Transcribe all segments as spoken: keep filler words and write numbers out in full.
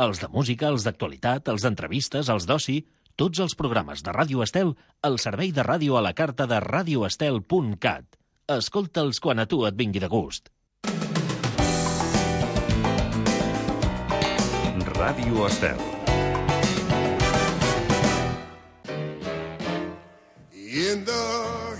Els de música, els d'actualitat, els d'entrevistes, els d'oci... Tots els programes de Ràdio Estel al servei de ràdio a la carta de radio estel punt cat. Escolta'ls quan a tu et vingui de gust. Ràdio Estel. In the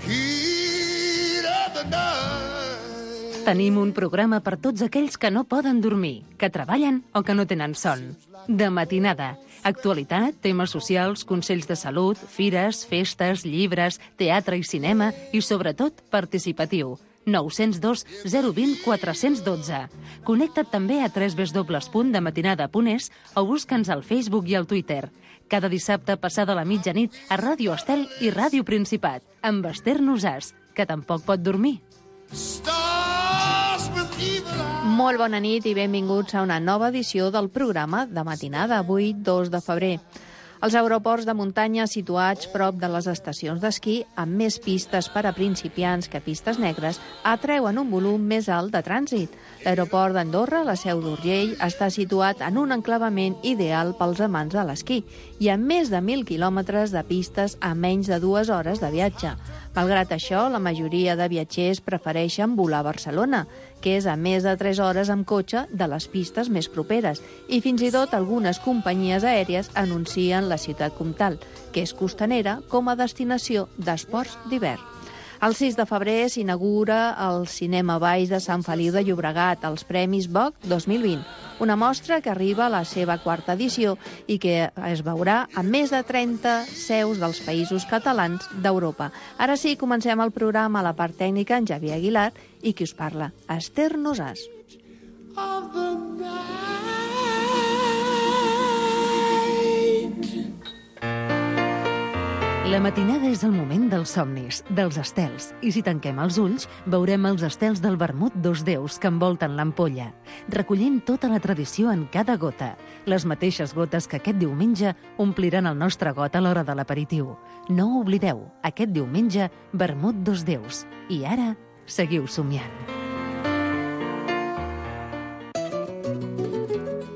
heat of the night. Tenim un programa per tots aquells que no poden dormir, que treballen o que no tenen son. De matinada. Actualitat, temes socials, consells de salut, fires, festes, llibres, teatre i cinema i, sobretot, participatiu. nou zero dos zero dos zero quatre un dos. Connecta't també a w w w punt de matinada punt es o busca'ns al Facebook i al Twitter. Cada dissabte passada la mitjanit a Ràdio Estel i Ràdio Principat, amb Esther Nosàs, que tampoc pot dormir. Molt bona nit i benvinguts a una nova edició del programa de matinada, avui dos de febrer. Els aeroports de muntanya situats prop de les estacions d'esquí, amb més pistes per a principiants que pistes negres, atreuen un volum més alt de trànsit. L'aeroport d'Andorra, la Seu d'Urgell, està situat en un enclavament ideal pels amants de l'esquí i amb més de mil quilòmetres de pistes a menys de dues hores de viatge. Malgrat això, la majoria de viatgers prefereixen volar a Barcelona, que és a més de tres hores amb cotxe de les pistes més properes, i fins i tot algunes companyies aèries anuncien la ciutat comtal, que és costanera, com a destinació d'esports d'hivern. El sis de febrer s'inaugura el Cinema Baix de Sant Feliu de Llobregat, els Premis B O C dos mil vint, una mostra que arriba a la seva quarta edició i que es veurà a més de trenta seus dels països catalans d'Europa. Ara sí, comencem el programa a la part tècnica en Javier Aguilar i qui us parla, Esther Nosàs. La matinada és el moment dels somnis, dels estels, i si tanquem els ulls, veurem els estels del vermut dos déus que envolten l'ampolla, recollint tota la tradició en cada gota, les mateixes gotes que aquest diumenge ompliran el nostre got a l'hora de l'aperitiu. No ho oblideu, aquest diumenge, vermut dos déus. I ara, seguiu somiant.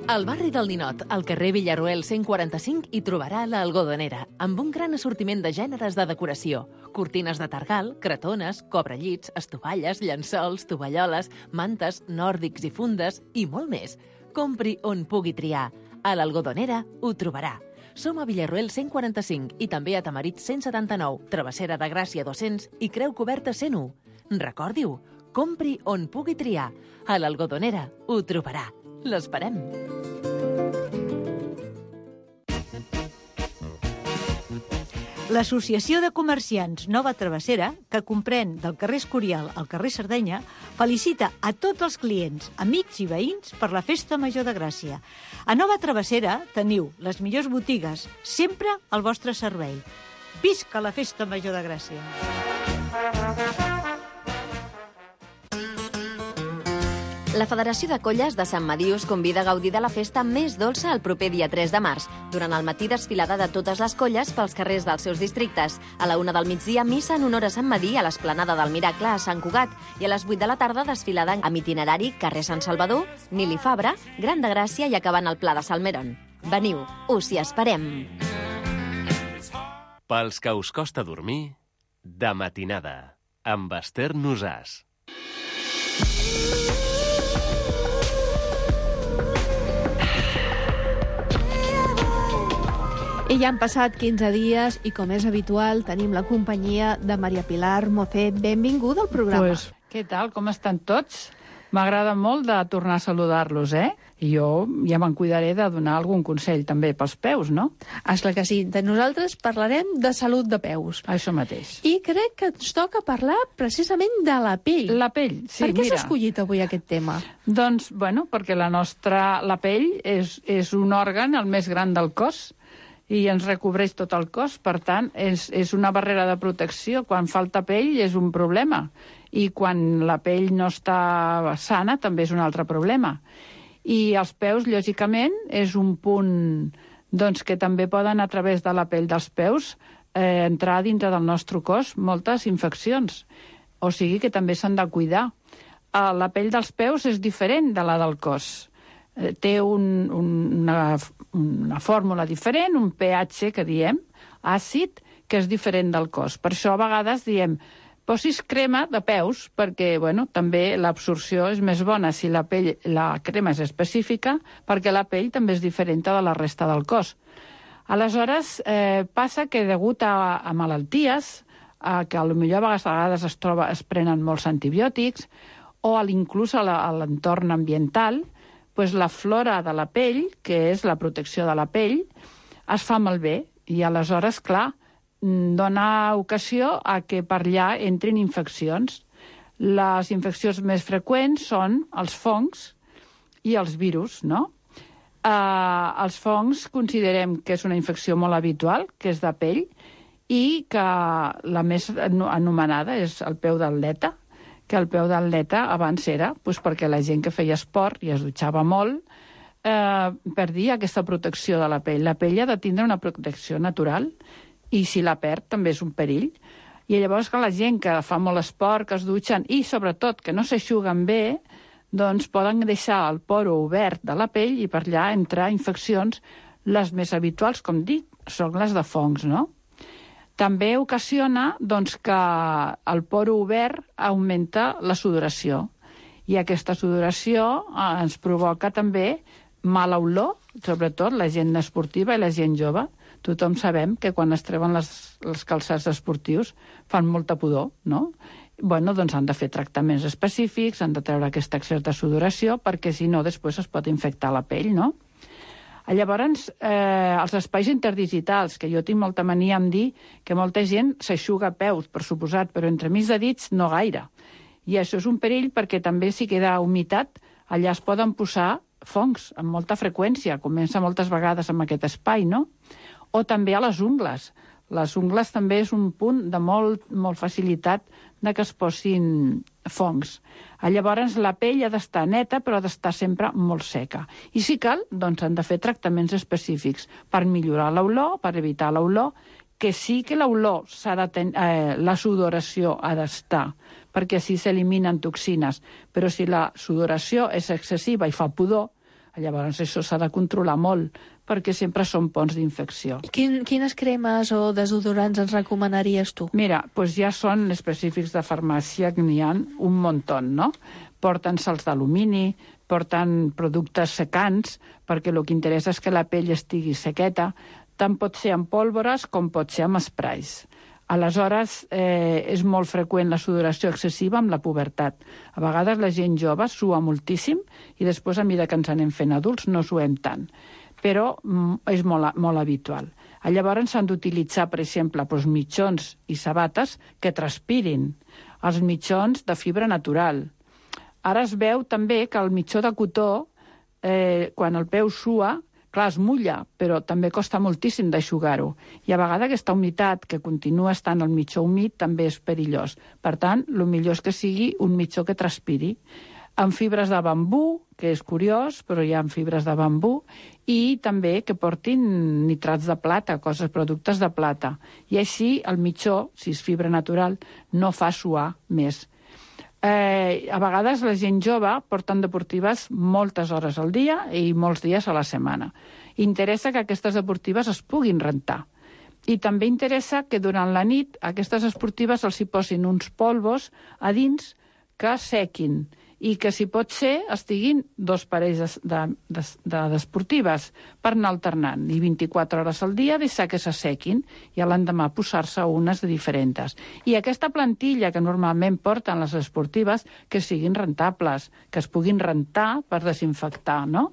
Al barri del Ninot, al carrer Villarroel cent quaranta-cinc, hi trobarà l'Algodonera, amb un gran assortiment de gèneres de decoració. Cortines de targal, cretones, cobrellits, estovalles, llençols, tovalloles, mantes, nòrdics i fundes, i molt més. Compri on pugui triar. A l'Algodonera ho trobarà. Som a Villarroel cent quaranta-cinc i també a Tamarit cent setanta-nou, Travessera de Gràcia dos-cents i Creu Coberta cent u. Recordi-ho, compri on pugui triar. A l'Algodonera ho trobarà. L'esperem. L'Associació de Comerciants Nova Travessera, que comprèn del carrer Escorial al carrer Sardenya, felicita a tots els clients, amics i veïns per la Festa Major de Gràcia. A Nova Travessera teniu les millors botigues, sempre al vostre servei. Visca la Festa Major de Gràcia! La Federació de Colles de Sant Madí us convida a gaudir de la festa més dolça el proper dia tres de març. Durant el matí, desfilada de totes les colles pels carrers dels seus districtes. A la una del migdia, missa en honor a Sant Madí a l'Esplanada del Miracle a Sant Cugat. I a les vuit de la tarda, desfilada amb itinerari carrer Sant Salvador, Nili Fabra, Gran de Gràcia i acabant al Pla de Salmeron. Veniu, us hi esperem. Pels que us costa dormir, de matinada, amb Esther Nosàs. I ja han passat quinze dies i, com és habitual, tenim la companyia de Maria Pilar Mocé. Benvinguda al programa. Pues, què tal? Com estan tots? M'agrada molt de tornar a saludar-los, eh? I jo ja me'n cuidaré de donar algun consell també pels peus, no? Esclar que sí. De nosaltres parlarem de salut de peus. Això mateix. I crec que ens toca parlar precisament de la pell. La pell, sí, per què mira. s'ha escollit avui aquest tema? Doncs, bueno, perquè la nostra... La pell és, és un òrgan el més gran del cos i ens recobreix tot el cos. Per tant, és, és una barrera de protecció. Quan falta pell és un problema. I quan la pell no està sana també és un altre problema. I els peus, lògicament, és un punt doncs, que també poden, a través de la pell dels peus, eh, entrar dintre del nostre cos moltes infeccions. O sigui que també s'han de cuidar. Eh, la pell dels peus és diferent de la del cos. eh, té un, un, una, una fórmula diferent, un pH que diem, àcid, que és diferent del cos. Per això a vegades diem posis crema de peus, perquè bueno, també l'absorció és més bona si la, pell, la crema és específica, perquè la pell també és diferent de la resta del cos. Aleshores, eh, passa que degut a, a malalties, a que potser a vegades, a vegades es, troba, es prenen molts antibiòtics, o a inclús a l'entorn ambiental, pues la flora de la pell, que és la protecció de la pell, es fa malbé. I aleshores, clar, dona ocasió a que per allà entrin infeccions. Les infeccions més freqüents són els fongs i els virus, no? Uh, els fongs considerem que és una infecció molt habitual, que és de pell, i que la més anomenada és el peu d'atleta, que el peu d'atleta abans era doncs, perquè la gent que feia esport i es dutxava molt eh, perdia aquesta protecció de la pell. La pell ha de tindre una protecció natural i si la perd també és un perill. I llavors que la gent que fa molt esport, que es dutxen i sobretot que no s'eixuguen bé, doncs poden deixar el poro obert de la pell i per allà entrar infeccions. Les més habituals, com dic, són les de fongs, no? També ocasiona doncs, que el poro obert augmenta la sudoració i aquesta sudoració eh, ens provoca també mala olor, sobretot la gent esportiva i la gent jove. Tothom sabem que quan es treuen les, els calçats esportius fan molta pudor, no? Bueno, doncs han de fer tractaments específics, han de treure aquesta excés de sudoració, perquè si no després es pot infectar la pell, no? Llavors, eh, els espais interdigitals, que jo tinc molta mania en dir que molta gent s'eixuga peus, per suposat, però entremig de dits no gaire. I això és un perill perquè també si queda humitat, allà es poden posar fongs amb molta freqüència, comença moltes vegades amb aquest espai, no? O també a les ungles. Les ungles també és un punt de molt, molt facilitat de que es posin fongs. Llavors, la pell ha d'estar neta, però ha d'estar sempre molt seca. I si cal, doncs han de fer tractaments específics per millorar l'olor, per evitar l'olor, que sí que l'olor s'ha de ten... eh, la sudoració ha d'estar, perquè així s'eliminen toxines. Però si la sudoració és excessiva i fa pudor, llavors això s'ha de controlar molt, perquè sempre són ponts d'infecció. Quin, quines cremes o desodorants ens recomanaries tu? Mira, doncs ja són específics de farmàcia, que n'hi ha un muntó, no? Porten sals d'alumini, porten productes secants, perquè el que interessa és que la pell estigui sequeta. Tant pot ser amb pólvores com pot ser amb sprays. Aleshores, eh, és molt freqüent la sudoració excessiva amb la pubertat. A vegades la gent jove sua moltíssim i després, a mesura que ens anem fent adults, no suem tant. Però mm, és molt, molt habitual. Llavors s'han d'utilitzar, per exemple, doncs, mitjons i sabates que transpirin. Els mitjons de fibra natural. Ara es veu també que el mitjó de cotó, eh, quan el peu sua, clar, es mulla, però també costa moltíssim d'eixugar-ho. I a vegades aquesta humitat que continua estant al mitjó humit també és perillós. Per tant, el millor és que sigui un mitjó que transpiri. Amb fibres de bambú, que és curiós, però hi ha fibres de bambú, i també que portin nitrats de plata, coses, productes de plata. I així el mitjó, si és fibra natural, no fa suar més. Eh, a vegades la gent jove porten deportives moltes hores al dia i molts dies a la setmana. Interessa que aquestes deportives es puguin rentar. I també interessa que durant la nit aquestes esportives els hi posin uns polvos a dins que sequin i que, si pot ser, estiguin dos parells d'esportives de, de, per anar alternant. I vint-i-quatre hores al dia deixar que s'assequin i a l'endemà posar-se unes de diferents. I aquesta plantilla que normalment porten les esportives, que siguin rentables, que es puguin rentar per desinfectar, no?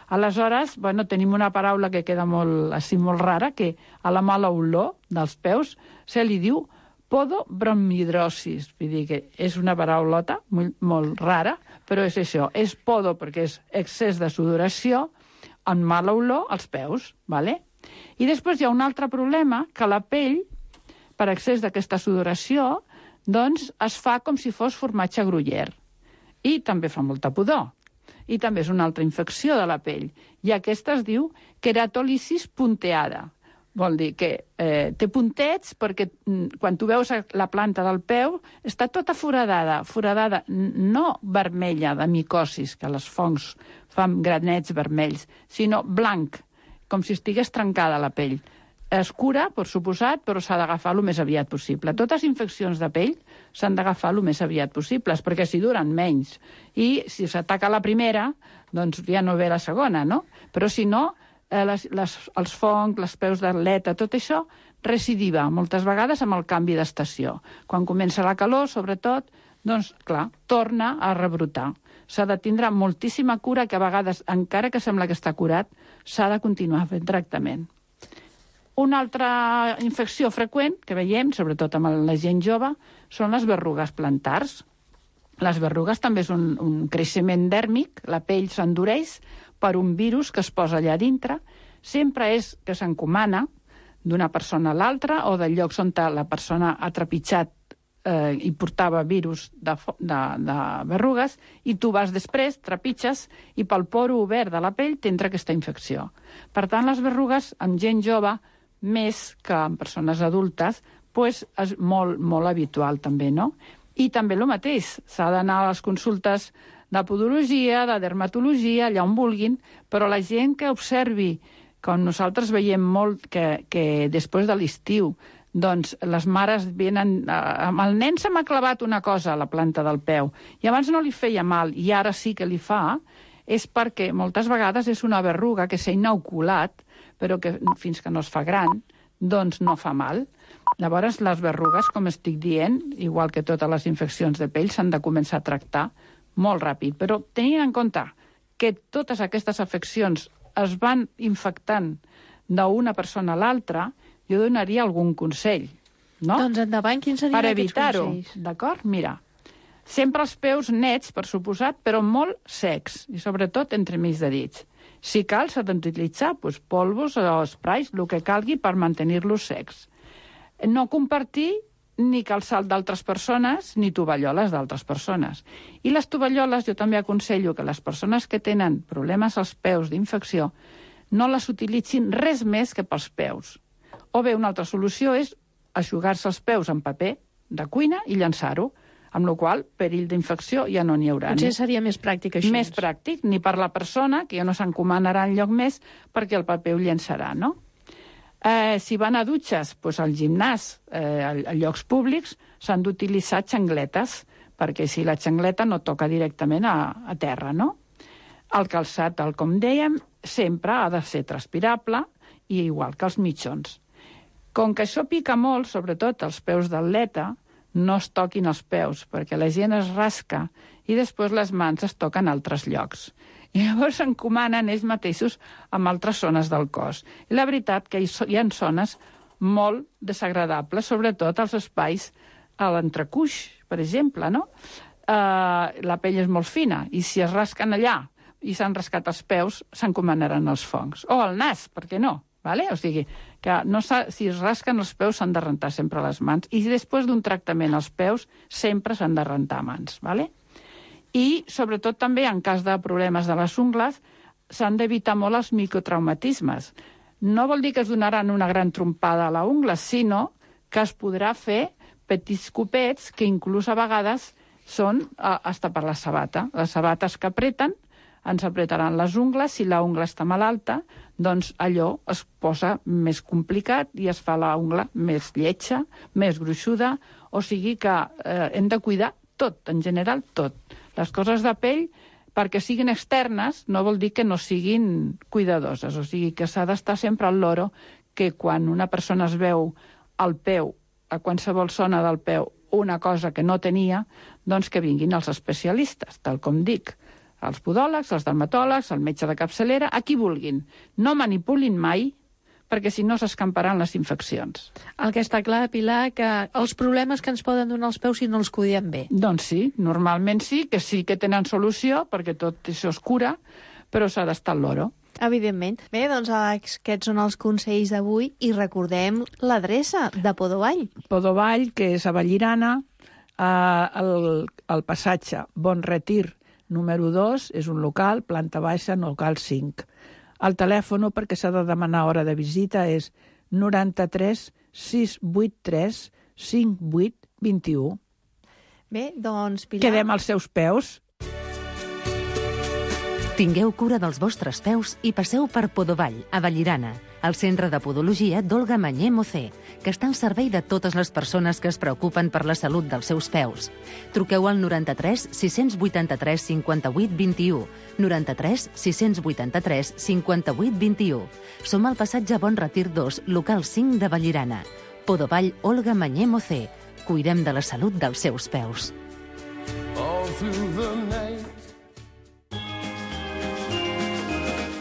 Aleshores, bueno, tenim una paraula que queda molt, així, molt rara, que a la mala olor dels peus se li diu podobromhidrosis. Vull dir que és una paraulota molt, molt rara, però és això. És podo perquè és excés de sudoració amb mala olor als peus. ¿Vale? I després hi ha un altre problema, que la pell, per excés d'aquesta sudoració, doncs es fa com si fos formatge gruyère. I també fa molta pudor. I també és una altra infecció de la pell. I aquesta es diu queratòlisis punteada. Vol dir que eh, té puntets perquè mm, quan tu veus la planta del peu està tota foradada, foradada no vermella de micosis, que les fongs fan granets vermells, sinó blanc, com si estigués trencada la pell. Es cura, per suposat, però s'ha d'agafar el més aviat possible. Totes les infeccions de pell s'han d'agafar el més aviat possible, perquè si duren menys. I si s'ataca la primera, doncs ja no ve la segona, no? Però si no, eh, les, les, els fongs, les peus d'atleta, tot això recidiva moltes vegades amb el canvi d'estació. Quan comença la calor, sobretot, doncs, clar, torna a rebrotar. S'ha de tindre moltíssima cura, que a vegades, encara que sembla que està curat, s'ha de continuar fent tractament. Una altra infecció freqüent que veiem, sobretot amb la gent jove, són les berrugues plantars. Les berrugues també és un, un creixement dèrmic, la pell s'endureix per un virus que es posa allà dintre. Sempre és que s'encomana d'una persona a l'altra o de llocs on la persona ha trepitjat eh, i portava virus de, de, de berrugues, i tu vas després, trepitges, i pel poro obert de la pell t'entra aquesta infecció. Per tant, les berrugues amb gent jove, més que en persones adultes, pues és molt, molt habitual també, no? I també el mateix, s'ha d'anar a les consultes de podologia, de dermatologia, allà on vulguin, però la gent que observi, com nosaltres veiem molt, que, que després de l'estiu, doncs les mares venen... Amb el nen se m'ha clavat una cosa a la planta del peu, i abans no li feia mal, i ara sí que li fa, és perquè moltes vegades és una berruga que s'ha inoculat, però que fins que no es fa gran, doncs no fa mal. Llavors, les berrugues, com estic dient, igual que totes les infeccions de pell, s'han de començar a tractar molt ràpid. Però tenint en compte que totes aquestes afeccions es van infectant d'una persona a l'altra, jo donaria algun consell, no? Doncs endavant, quins serien per aquests evitar-ho, consells? d'acord? Mira, sempre els peus nets, per suposat, però molt secs, i sobretot entre mig de dits. Si cal, s'ha d'utilitzar doncs, polvos o sprays, el que calgui per mantenir-los secs. No compartir ni calçat d'altres persones, ni tovalloles d'altres persones. I les tovalloles, jo també aconsello que les persones que tenen problemes als peus d'infecció no les utilitzin res més que pels peus. O bé, una altra solució és eixugar-se els peus amb paper de cuina i llançar-ho, amb la qual cosa, perill d'infecció ja no n'hi haurà. Potser seria més pràctic això. Més pràctic, ni per la persona, que ja no s'encomanarà enlloc més, perquè el paper ho llençarà, no? Eh, si van a dutxes, doncs al gimnàs, eh, a, a llocs públics, s'han d'utilitzar xangletes, perquè si la xangleta no toca directament a, a terra, no? El calçat, tal com dèiem, sempre ha de ser transpirable, i igual que els mitjons. Com que això pica molt, sobretot els peus d'atleta, no es toquin els peus, perquè la gent es rasca i després les mans es toquen a altres llocs. I llavors s'encomanen ells mateixos amb altres zones del cos. I la veritat que hi ha zones molt desagradables, sobretot als espais a l'entrecuix, per exemple, no? Uh, la pell és molt fina, i si es rasquen allà i s'han rascat els peus, s'encomanaran els fongs. O el nas, per què no? Vale? O sigui, que no si es rasquen els peus s'han de rentar sempre les mans, i després d'un tractament als peus sempre s'han de rentar mans. Vale? I sobretot també en cas de problemes de les ungles s'han d'evitar molt els microtraumatismes. No vol dir que es donaran una gran trompada a la ungla, sinó que es podrà fer petits copets que inclús a vegades són hasta per la sabata. Les sabates que apreten ens apretaran les ungles, si la ungla està malalta, doncs allò es posa més complicat i es fa la ungla més lletja, més gruixuda, o sigui que eh, hem de cuidar tot, en general tot. Les coses de pell, perquè siguin externes, no vol dir que no siguin cuidadoses, o sigui que s'ha d'estar sempre al loro que quan una persona es veu al peu, a qualsevol zona del peu, una cosa que no tenia, doncs que vinguin els especialistes, tal com dic. Els podòlegs, els dermatòlegs, el metge de capçalera, a qui vulguin. No manipulin mai, perquè si no s'escamparan les infeccions. El que està clar, Pilar, que els problemes que ens poden donar els peus si no els cuidem bé. Doncs sí, normalment sí, que sí que tenen solució, perquè tot això es cura, però s'ha d'estar al loro. Evidentment. Bé, doncs aquests són els consells d'avui i recordem l'adreça de Podovall. Podovall, que és a Vallirana, eh, el, el passatge Bon Retir, número dos, és un local, planta baixa, local cinc. El telèfon, perquè s'ha de demanar hora de visita, és noranta-tres sis vuit tres cinc vuit dos u. Bé, doncs, Pilar... Quedem als seus peus. Tingueu cura dels vostres peus i passeu per Podovall, a Vallirana, al Centre de Podologia d'Olga Mañé Mocé, que està al servei de totes les persones que es preocupen per la salut dels seus peus. Truqueu al noranta-tres sis vuitanta-tres cinquanta-vuit vint-i-u, noranta-tres sis vuitanta-tres cinquanta-vuit vint-i-u. Som al passatge Bon Retir dos, local cinc de Vallirana. Podovall Olga Mañé Mocé. Cuidem de la salut dels seus peus.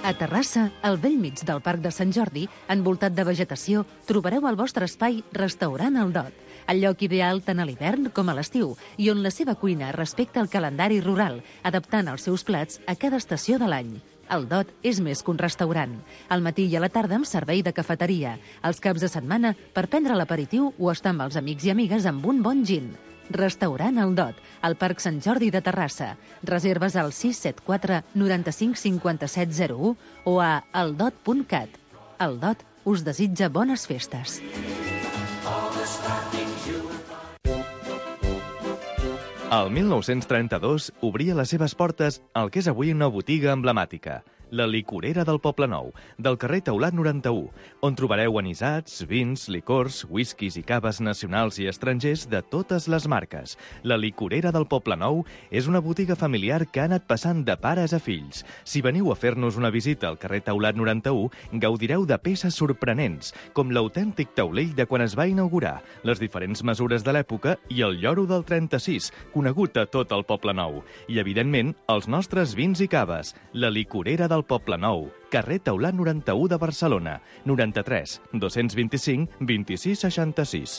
A Terrassa, al bell mig del Parc de Sant Jordi, envoltat de vegetació, trobareu al vostre espai Restaurant El Dot, el lloc ideal tant a l'hivern com a l'estiu, i on la seva cuina respecta el calendari rural, adaptant els seus plats a cada estació de l'any. El Dot és més que un restaurant. Al matí i a la tarda amb servei de cafeteria, als caps de setmana per prendre l'aperitiu o estar amb els amics i amigues amb un bon gin. Restaurant El Dot, al Parc Sant Jordi de Terrassa. Reserves al sis set quatre noranta-cinc cinquanta-set zero u o a eldot punt cat. El Dot us desitja bones festes. El mil nou-cents trenta-dos obria les seves portes al que és avui una botiga emblemàtica, la licorera del Poblenou, del carrer Taulat noranta-u, on trobareu anisats, vins, licors, whiskies i caves nacionals i estrangers de totes les marques. La licorera del Poblenou és una botiga familiar que ha anat passant de pares a fills. Si veniu a fer-nos una visita al carrer Taulat noranta-u, gaudireu de peces sorprenents, com l'autèntic taulell de quan es va inaugurar, les diferents mesures de l'època i el lloro del trenta-sis, conegut a tot el Poblenou. I, evidentment, els nostres vins i caves. La licorera del Poblenou, carrer Taulat noranta-u de Barcelona, noranta-tres dos-cents vint-i-cinc vint-i-sis seixanta-sis.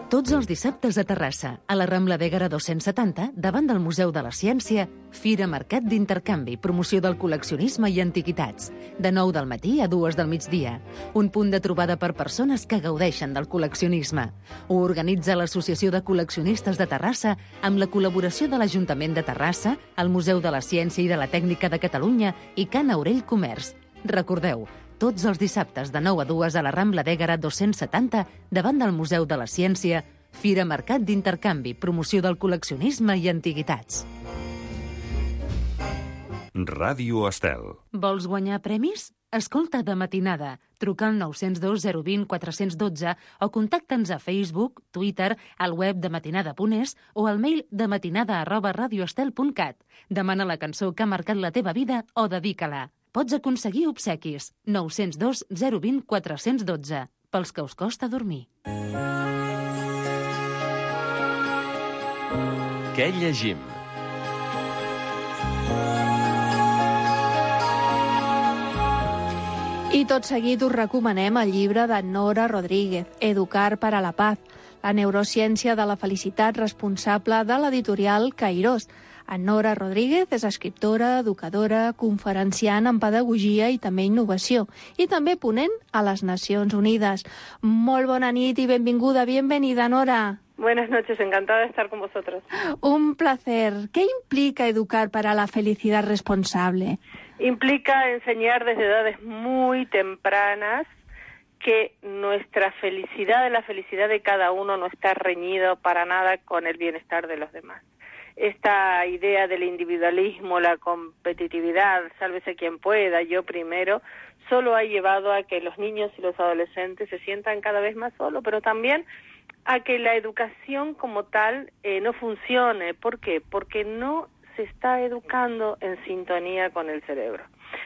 Tots els dissabtes a Terrassa, a la Rambla d'Ègara dos-cents setanta, davant del Museu de la Ciència, Fira Mercat d'Intercanvi, promoció del col·leccionisme i antiquitats. De nou del matí a dues del migdia. Un punt de trobada per persones que gaudeixen del col·leccionisme. Ho organitza l'Associació de Col·leccionistes de Terrassa amb la col·laboració de l'Ajuntament de Terrassa, el Museu de la Ciència i de la Tècnica de Catalunya i Can Aurell Comerç. Recordeu, tots els dissabtes de nou a dues a la Rambla d'Ègara dos-cents setanta, davant del Museu de la Ciència, Fira Mercat d'Intercanvi, promoció del col·leccionisme i antiguitats. Ràdio Estel. Vols guanyar premis? Escolta de matinada. Truca al nou zero dos zero dos zero quatre un dos o contacta'ns a Facebook, Twitter, al web de matinada punt es o al mail de matinada arroba radioestel punt cat. Demana la cançó que ha marcat la teva vida o dedica-la. Pots aconseguir obsequis. nou zero dos zero dos zero quatre un dos, pels que us costa dormir. Què llegim? I tot seguit us recomanem el llibre de Nora Rodríguez, Educar para la Paz, la neurociència de la felicitat, responsable de l'editorial Cairós. Nora Rodríguez és escriptora, educadora, conferenciant en pedagogia i també innovació, i també ponent a les Nacions Unides. Molt bona nit i benvinguda, bienvenida, Nora. Buenas noches, encantada de estar con vosotros. Un placer. ¿Qué implica educar para la felicidad responsable? Implica enseñar desde edades muy tempranas que nuestra felicidad, la felicidad de cada uno, no está reñido para nada con el bienestar de los demás. Esta idea del individualismo, la competitividad, sálvese quien pueda, yo primero, solo ha llevado a que los niños y los adolescentes se sientan cada vez más solos, pero también a que la educación como tal eh, no funcione. ¿Por qué? Porque no se está educando en sintonía con el cerebro.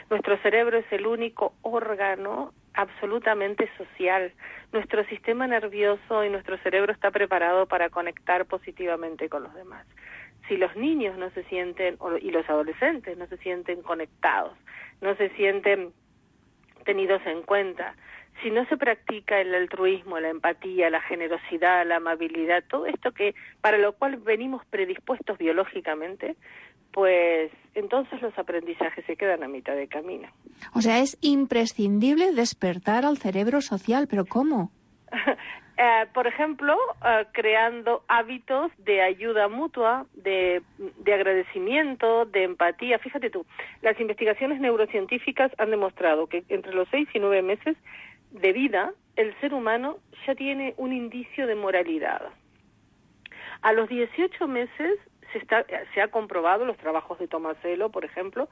Nuestro cerebro es el único órgano absolutamente social. Nuestro sistema nervioso y nuestro cerebro está preparado para conectar positivamente con los demás. Si los niños no se sienten, y los adolescentes no se sienten conectados, no se sienten tenidos en cuenta, si no se practica el altruismo, la empatía, la generosidad, la amabilidad, todo esto que para lo cual venimos predispuestos biológicamente, pues entonces los aprendizajes se quedan a mitad de camino. O sea, es imprescindible despertar al cerebro social, ¿pero cómo? Eh, por ejemplo, eh, creando hábitos de ayuda mutua, de, de agradecimiento, de empatía. Fíjate tú, las investigaciones neurocientíficas han demostrado que entre los seis y nueve meses de vida, el ser humano ya tiene un indicio de moralidad. A los dieciocho meses se, está, se ha comprobado, los trabajos de Tomasello, por ejemplo,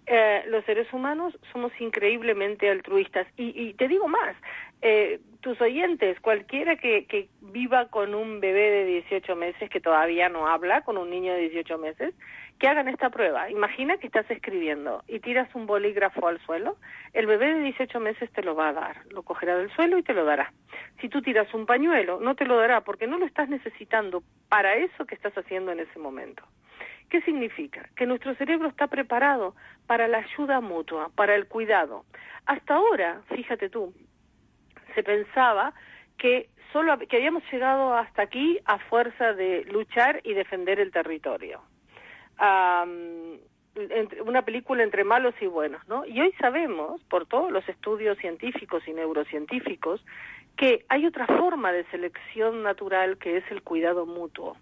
eh, los seres humanos somos increíblemente altruistas. Y, y te digo más, eh, tus oyentes, cualquiera que, que viva con un bebé de dieciocho meses que todavía no habla, con un niño de dieciocho meses, que hagan esta prueba. Imagina que estás escribiendo y tiras un bolígrafo al suelo, el bebé de dieciocho meses te lo va a dar, lo cogerá del suelo y te lo dará. Si tú tiras un pañuelo, no te lo dará porque no lo estás necesitando para eso que estás haciendo en ese momento. ¿Qué significa? Que nuestro cerebro está preparado para la ayuda mutua, para el cuidado. Hasta ahora, fíjate tú, se pensaba que solo que habíamos llegado hasta aquí a fuerza de luchar y defender el territorio. Um, entre, una película entre malos y buenos, ¿no? Y hoy sabemos, por todos los estudios científicos y neurocientíficos, que hay otra forma de selección natural que es el cuidado mutuo.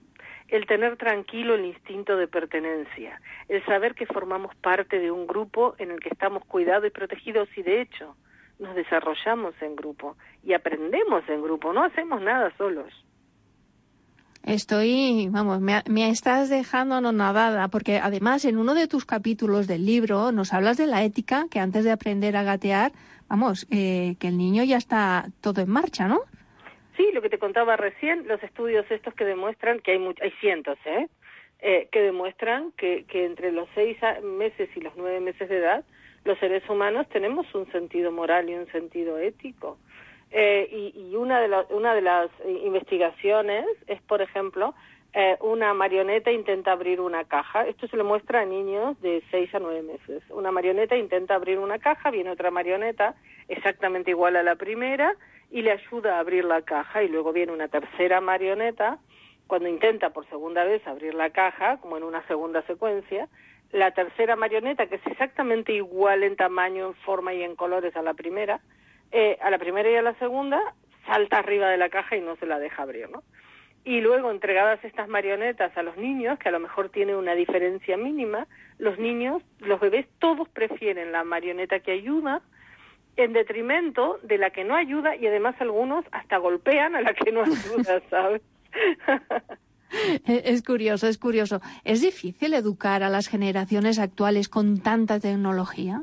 El tener tranquilo el instinto de pertenencia, el saber que formamos parte de un grupo en el que estamos cuidados y protegidos y de hecho nos desarrollamos en grupo y aprendemos en grupo, no hacemos nada solos. Estoy, vamos, me, me estás dejando anonadada, porque además en uno de tus capítulos del libro nos hablas de la ética, que antes de aprender a gatear, vamos, eh, que el niño ya está todo en marcha, ¿no? Sí, lo que te contaba recién, los estudios estos que demuestran, que hay much- hay cientos, ¿eh? eh que demuestran que, que entre los seis meses y los nueve meses de edad, los seres humanos tenemos un sentido moral y un sentido ético. Eh, y, y una de, la, una de las investigaciones es, por ejemplo, eh, una marioneta intenta abrir una caja. Esto se le muestra a niños de seis a nueve meses. Una marioneta intenta abrir una caja, viene otra marioneta exactamente igual a la primera y le ayuda a abrir la caja, y luego viene una tercera marioneta cuando intenta por segunda vez abrir la caja, como en una segunda secuencia. La tercera marioneta, que es exactamente igual en tamaño, en forma y en colores a la primera, Eh, a la primera y a la segunda, salta arriba de la caja y no se la deja abrir, ¿no? Y luego, entregadas estas marionetas a los niños, que a lo mejor tiene una diferencia mínima, los niños, los bebés, todos prefieren la marioneta que ayuda en detrimento de la que no ayuda, y además algunos hasta golpean a la que no ayuda, ¿sabes? Es curioso, es curioso. ¿Es difícil educar a las generaciones actuales con tanta tecnología?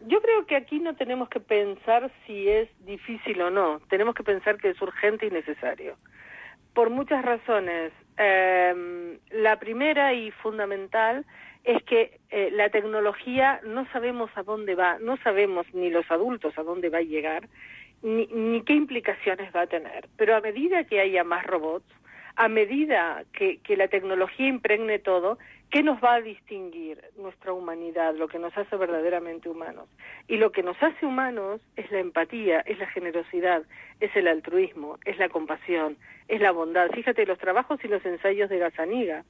Yo creo que aquí no tenemos que pensar si es difícil o no, tenemos que pensar que es urgente y necesario. Por muchas razones. Eh, la primera y fundamental es que eh, la tecnología no sabemos a dónde va, no sabemos ni los adultos a dónde va a llegar, ni, ni qué implicaciones va a tener. Pero a medida que haya más robots, a medida que, que la tecnología impregne todo, ¿qué nos va a distinguir? Nuestra humanidad, lo que nos hace verdaderamente humanos. Y lo que nos hace humanos es la empatía, es la generosidad, es el altruismo, es la compasión, es la bondad. Fíjate, los trabajos y los ensayos de Gazzaniga,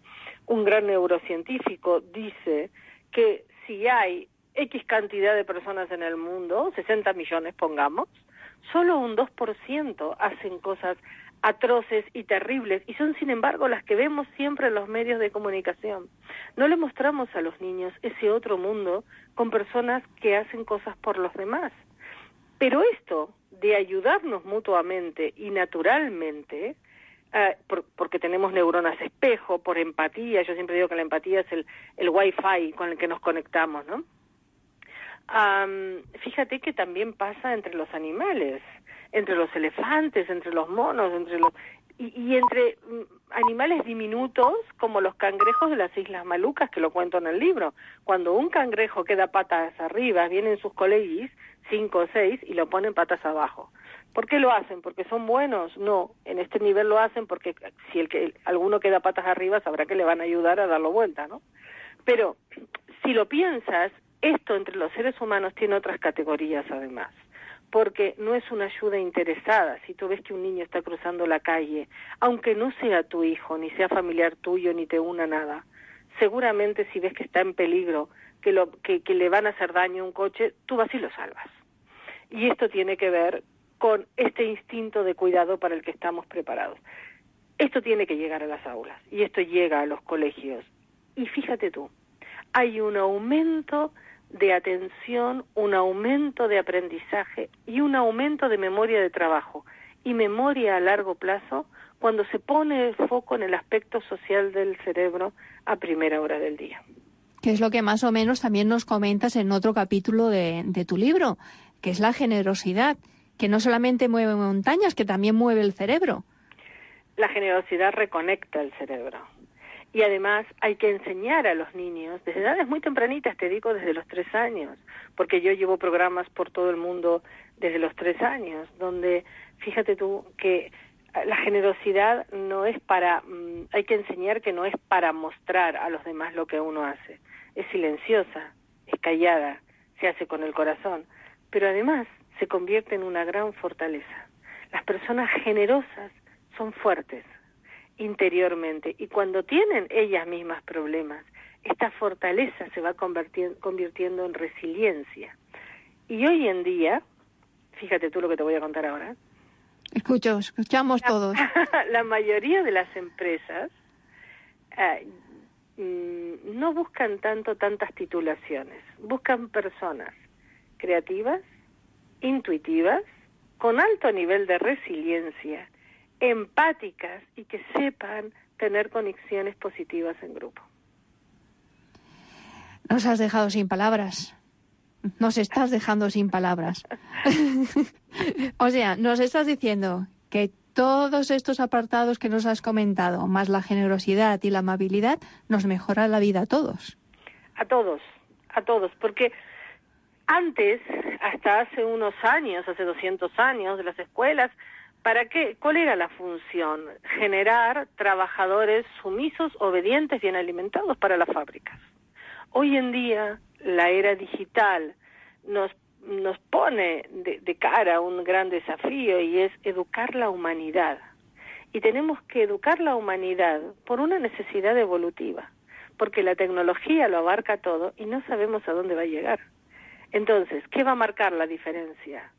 un gran neurocientífico, dice que si hay X cantidad de personas en el mundo, sesenta millones pongamos, solo un dos por ciento hacen cosas atroces y terribles, y son sin embargo las que vemos siempre en los medios de comunicación. No le mostramos a los niños ese otro mundo con personas que hacen cosas por los demás. Pero esto de ayudarnos mutuamente y naturalmente, eh, por, porque tenemos neuronas espejo, por empatía, yo siempre digo que la empatía es el, el wifi con el que nos conectamos, ¿no? Um, fíjate que también pasa entre los animales, entre los elefantes, entre los monos, entre los y, y entre mm, animales diminutos como los cangrejos de las Islas Malucas, que lo cuento en el libro. Cuando un cangrejo queda patas arriba, vienen sus colegis, cinco o seis, y lo ponen patas abajo. ¿Por qué lo hacen? ¿Porque son buenos? No, en este nivel lo hacen porque si el que el, alguno queda patas arriba, sabrá que le van a ayudar a darlo vuelta, ¿no? Pero si lo piensas, esto entre los seres humanos tiene otras categorías además, porque no es una ayuda interesada. Si tú ves que un niño está cruzando la calle, aunque no sea tu hijo, ni sea familiar tuyo, ni te una nada, seguramente si ves que está en peligro, que, lo, que, que le van a hacer daño a un coche, tú vas y lo salvas. Y esto tiene que ver con este instinto de cuidado para el que estamos preparados. Esto tiene que llegar a las aulas y esto llega a los colegios. Y fíjate tú, hay un aumento de atención, un aumento de aprendizaje y un aumento de memoria de trabajo y memoria a largo plazo cuando se pone el foco en el aspecto social del cerebro a primera hora del día. Que es lo que más o menos también nos comentas en otro capítulo de, de tu libro, que es la generosidad, que no solamente mueve montañas, que también mueve el cerebro. La generosidad reconecta el cerebro. Y además hay que enseñar a los niños, desde edades muy tempranitas, te digo desde los tres años, porque yo llevo programas por todo el mundo desde los tres años, donde, fíjate tú, que la generosidad no es para, mmm, hay que enseñar que no es para mostrar a los demás lo que uno hace. Es silenciosa, es callada, se hace con el corazón, pero además se convierte en una gran fortaleza. Las personas generosas son fuertes interiormente y cuando tienen ellas mismas problemas, esta fortaleza se va convirtiendo, convirtiendo en resiliencia. Y hoy en día, fíjate tú lo que te voy a contar ahora. Escucho, escuchamos todos. La mayoría de las empresas eh, no buscan tanto tantas titulaciones, buscan personas creativas, intuitivas, con alto nivel de resiliencia, empáticas y que sepan tener conexiones positivas en grupo. Nos has dejado sin palabras. Nos estás dejando sin palabras. O sea, nos estás diciendo que todos estos apartados que nos has comentado, más la generosidad y la amabilidad, nos mejora la vida a todos. A todos, a todos, porque antes, hasta hace unos años, hace doscientos años, de las escuelas, ¿para qué? ¿Cuál era la función? Generar trabajadores sumisos, obedientes, bien alimentados para las fábricas. Hoy en día, la era digital nos, nos pone de, de cara un gran desafío y es educar la humanidad. Y tenemos que educar la humanidad por una necesidad evolutiva, porque la tecnología lo abarca todo y no sabemos a dónde va a llegar. Entonces, ¿qué va a marcar la diferencia?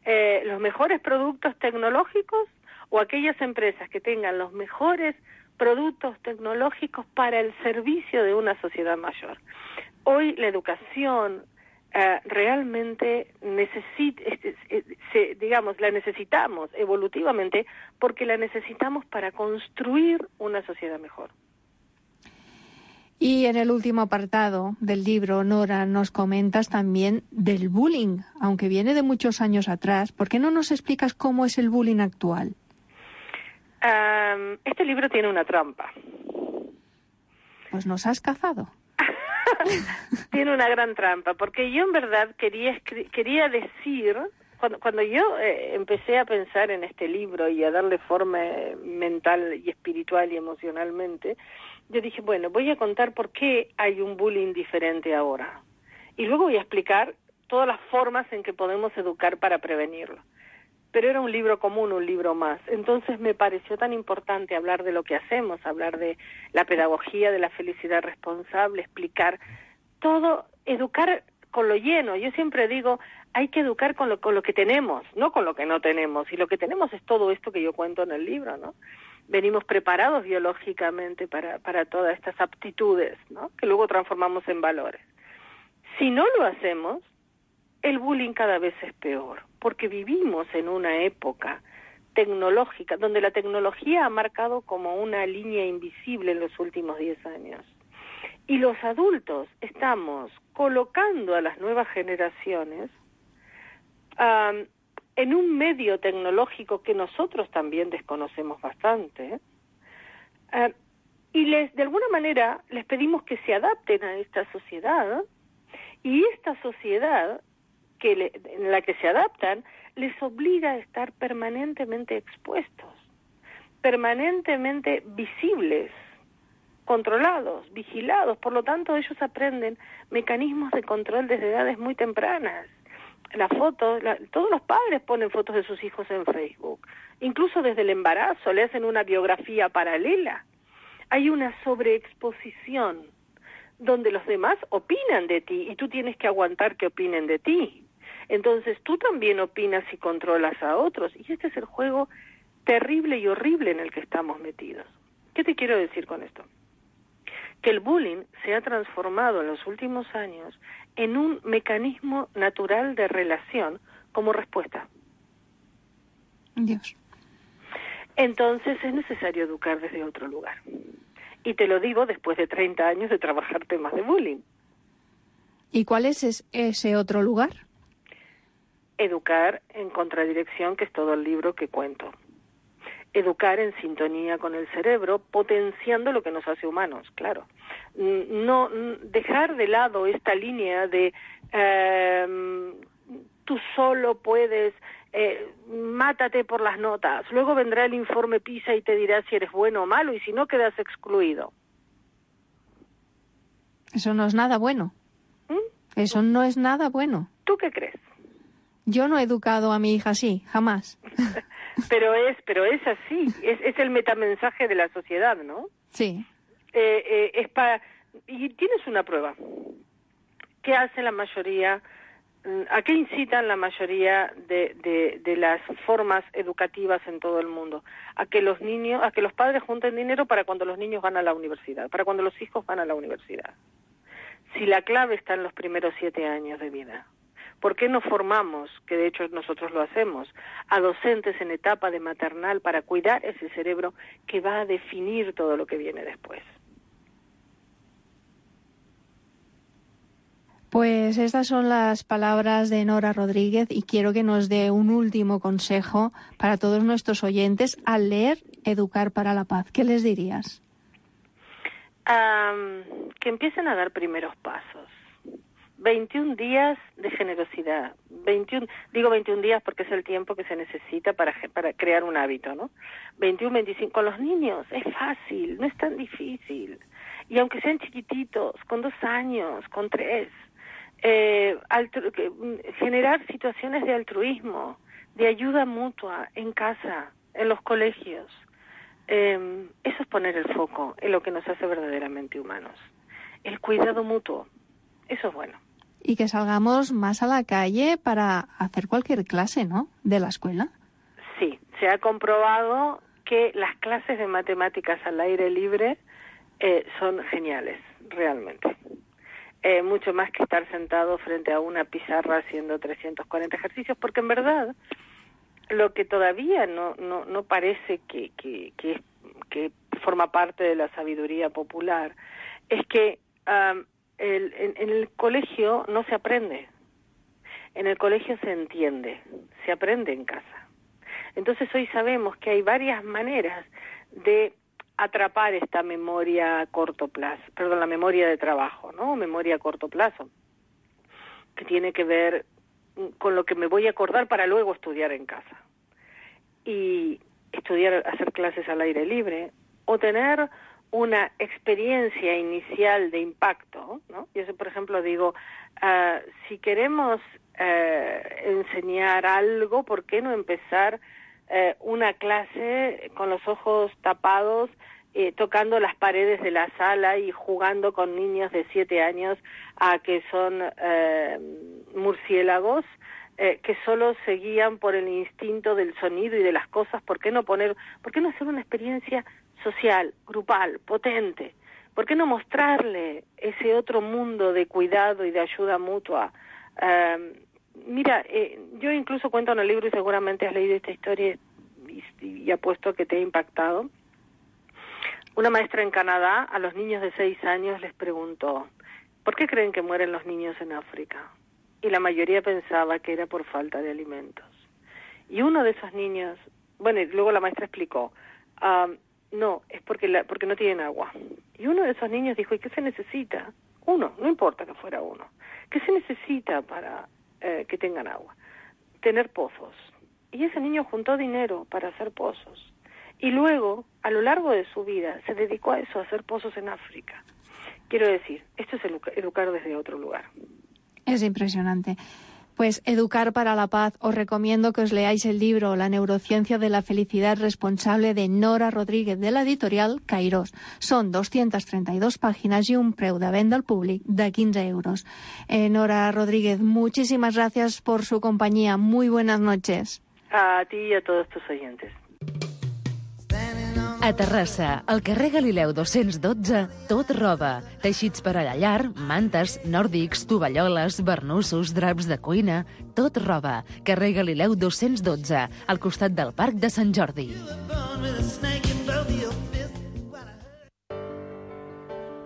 Eh, ¿Los mejores productos tecnológicos o aquellas empresas que tengan los mejores productos tecnológicos para el servicio de una sociedad mayor? Hoy la educación eh, realmente necesita, se, digamos, la necesitamos evolutivamente porque la necesitamos para construir una sociedad mejor. Y en el último apartado del libro, Nora, nos comentas también del bullying, aunque viene de muchos años atrás. ¿Por qué no nos explicas cómo es el bullying actual? Um, este libro tiene una trampa. Pues nos has cazado. Tiene una gran trampa, porque yo en verdad quería quería decir, cuando, cuando yo eh, empecé a pensar en este libro y a darle forma eh, mental y espiritual y emocionalmente, yo dije, bueno, voy a contar por qué hay un bullying diferente ahora. Y luego voy a explicar todas las formas en que podemos educar para prevenirlo. Pero era un libro común, un libro más. Entonces me pareció tan importante hablar de lo que hacemos, hablar de la pedagogía, de la felicidad responsable, explicar todo, educar con lo lleno. Yo siempre digo, hay que educar con lo, con lo que tenemos, no con lo que no tenemos. Y lo que tenemos es todo esto que yo cuento en el libro, ¿no? Venimos preparados biológicamente para, para todas estas aptitudes, ¿no? Que luego transformamos en valores. Si no lo hacemos, el bullying cada vez es peor, porque vivimos en una época tecnológica, donde la tecnología ha marcado como una línea invisible en los últimos diez años. Y los adultos estamos colocando a las nuevas generaciones um, en un medio tecnológico que nosotros también desconocemos bastante, uh, y les, de alguna manera les pedimos que se adapten a esta sociedad, y esta sociedad que le, en la que se adaptan les obliga a estar permanentemente expuestos, permanentemente visibles, controlados, vigilados. Por lo tanto, ellos aprenden mecanismos de control desde edades muy tempranas. Las fotos, la, todos los padres ponen fotos de sus hijos en Facebook. Incluso desde el embarazo le hacen una biografía paralela. Hay una sobreexposición donde los demás opinan de ti y tú tienes que aguantar que opinen de ti. Entonces tú también opinas y controlas a otros, y este es el juego terrible y horrible en el que estamos metidos. ¿Qué te quiero decir con esto? Que el bullying se ha transformado en los últimos años en un mecanismo natural de relación como respuesta. Dios. Entonces es necesario educar desde otro lugar. Y te lo digo después de treinta años de trabajar temas de bullying. ¿Y cuál es ese otro lugar? Educar en contradirección, que es todo el libro que cuento. Educar en sintonía con el cerebro, potenciando lo que nos hace humanos, claro. No dejar de lado esta línea de eh, tú solo puedes, eh, mátate por las notas, luego vendrá el informe PISA y te dirá si eres bueno o malo, y si no quedas excluido. Eso no es nada bueno. ¿Mm? Eso no es nada bueno. ¿Tú qué crees? Yo no he educado a mi hija así, jamás. Pero es, pero es así, es, es el metamensaje de la sociedad, ¿no? Sí. Eh, eh, es para, y tienes una prueba. ¿Qué hace la mayoría? ¿A qué incitan la mayoría de, de, de las formas educativas en todo el mundo? A que los niños, a que los padres junten dinero para cuando los niños van a la universidad, para cuando los hijos van a la universidad. Si la clave está en los primeros siete años de vida. ¿Por qué no formamos, que de hecho nosotros lo hacemos, a docentes en etapa de maternal para cuidar ese cerebro que va a definir todo lo que viene después? Pues estas son las palabras de Nora Rodríguez y quiero que nos dé un último consejo para todos nuestros oyentes al leer Educar para la Paz. ¿Qué les dirías? Um, que empiecen a dar primeros pasos. veintiún días de generosidad. veintiún, digo veintiún días porque es el tiempo que se necesita para, para crear un hábito, ¿no? veintiuno, veinticinco. Con los niños es fácil, no es tan difícil. Y aunque sean chiquititos, con dos años, con tres, eh, altru- generar situaciones de altruismo, de ayuda mutua en casa, en los colegios. Eh, eso es poner el foco en lo que nos hace verdaderamente humanos. El cuidado mutuo, eso es bueno. Y que salgamos más a la calle para hacer cualquier clase, ¿no?, de la escuela. Sí, se ha comprobado que las clases de matemáticas al aire libre eh, son geniales, realmente. Eh, mucho más que estar sentado frente a una pizarra haciendo trescientos cuarenta ejercicios, porque en verdad lo que todavía no no, no parece que, que, que, que forma parte de la sabiduría popular es que um, el, en, en el colegio no se aprende, en el colegio se entiende, se aprende en casa. Entonces hoy sabemos que hay varias maneras de atrapar esta memoria a corto plazo, perdón, la memoria de trabajo, ¿no? Memoria a corto plazo, que tiene que ver con lo que me voy a acordar para luego estudiar en casa. Y estudiar, hacer clases al aire libre, o tener una experiencia inicial de impacto, ¿no? Yo, por ejemplo, digo, uh, si queremos uh, enseñar algo, ¿por qué no empezar uh, una clase con los ojos tapados, eh, tocando las paredes de la sala y jugando con niños de siete años a que son uh, murciélagos, eh, que solo se guían por el instinto del sonido y de las cosas? ¿Por qué no poner, por qué no hacer una experiencia social, grupal, potente? ¿Por qué no mostrarle ese otro mundo de cuidado y de ayuda mutua? Uh, mira, eh, yo incluso cuento en el libro, y seguramente has leído esta historia y, y apuesto que te ha impactado. Una maestra en Canadá a los niños de seis años les preguntó, ¿por qué creen que mueren los niños en África? Y la mayoría pensaba que era por falta de alimentos. Y uno de esos niños, bueno, y luego la maestra explicó, uh, no, es porque, la, porque no tienen agua. Y uno de esos niños dijo, ¿y qué se necesita? Uno, no importa que fuera uno. ¿Qué se necesita para eh, que tengan agua? Tener pozos. Y ese niño juntó dinero para hacer pozos. Y luego, a lo largo de su vida, se dedicó a eso, a hacer pozos en África. Quiero decir, esto es educar desde otro lugar. Es impresionante. Pues Educar para la Paz. Os recomiendo que os leáis el libro La neurociencia de la felicidad, responsable de Nora Rodríguez, de la editorial Kairos. Son doscientas treinta y dos páginas y un preu de venda al públic de quince euros. Eh, Nora Rodríguez, muchísimas gracias por su compañía. Muy buenas noches. A ti y a todos tus oyentes. A Terrassa, al carrer Galileu dos-cents dotze, tot roba. Teixits per a la llar, mantes, nòrdics, tovalloles, barnussos, draps de cuina... Tot roba. Carrer Galileu dos-cents dotze, al costat del Parc de Sant Jordi.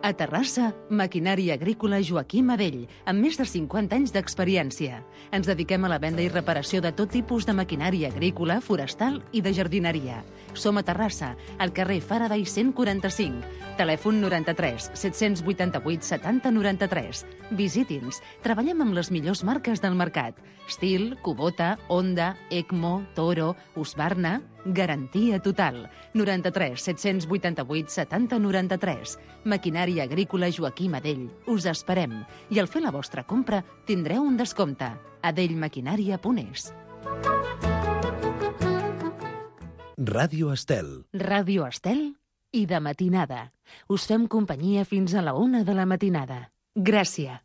A Terrassa, maquinària agrícola Joaquim Adell, amb més de cinquanta anys d'experiència. Ens dediquem a la venda i reparació de tot tipus de maquinària agrícola, forestal i de jardineria. Som a Terrassa, al carrer Faraday cent quaranta-cinc. Telèfon noranta-tres set-cents vuitanta-vuit setanta noranta-tres. Visiti'ns. Treballem amb les millors marques del mercat. Stihl, Kubota, Honda, Ecmo, Toro, Husqvarna... Garantia total. noranta-tres set-cents vuitanta-vuit setanta noranta-tres. Maquinària agrícola Joaquim Adell. Us esperem. I al fer la vostra compra tindreu un descompte. adellmaquinària punt es. Ràdio Estel. Ràdio Estel i de matinada. Us fem companyia fins a la una de la matinada. Gràcies.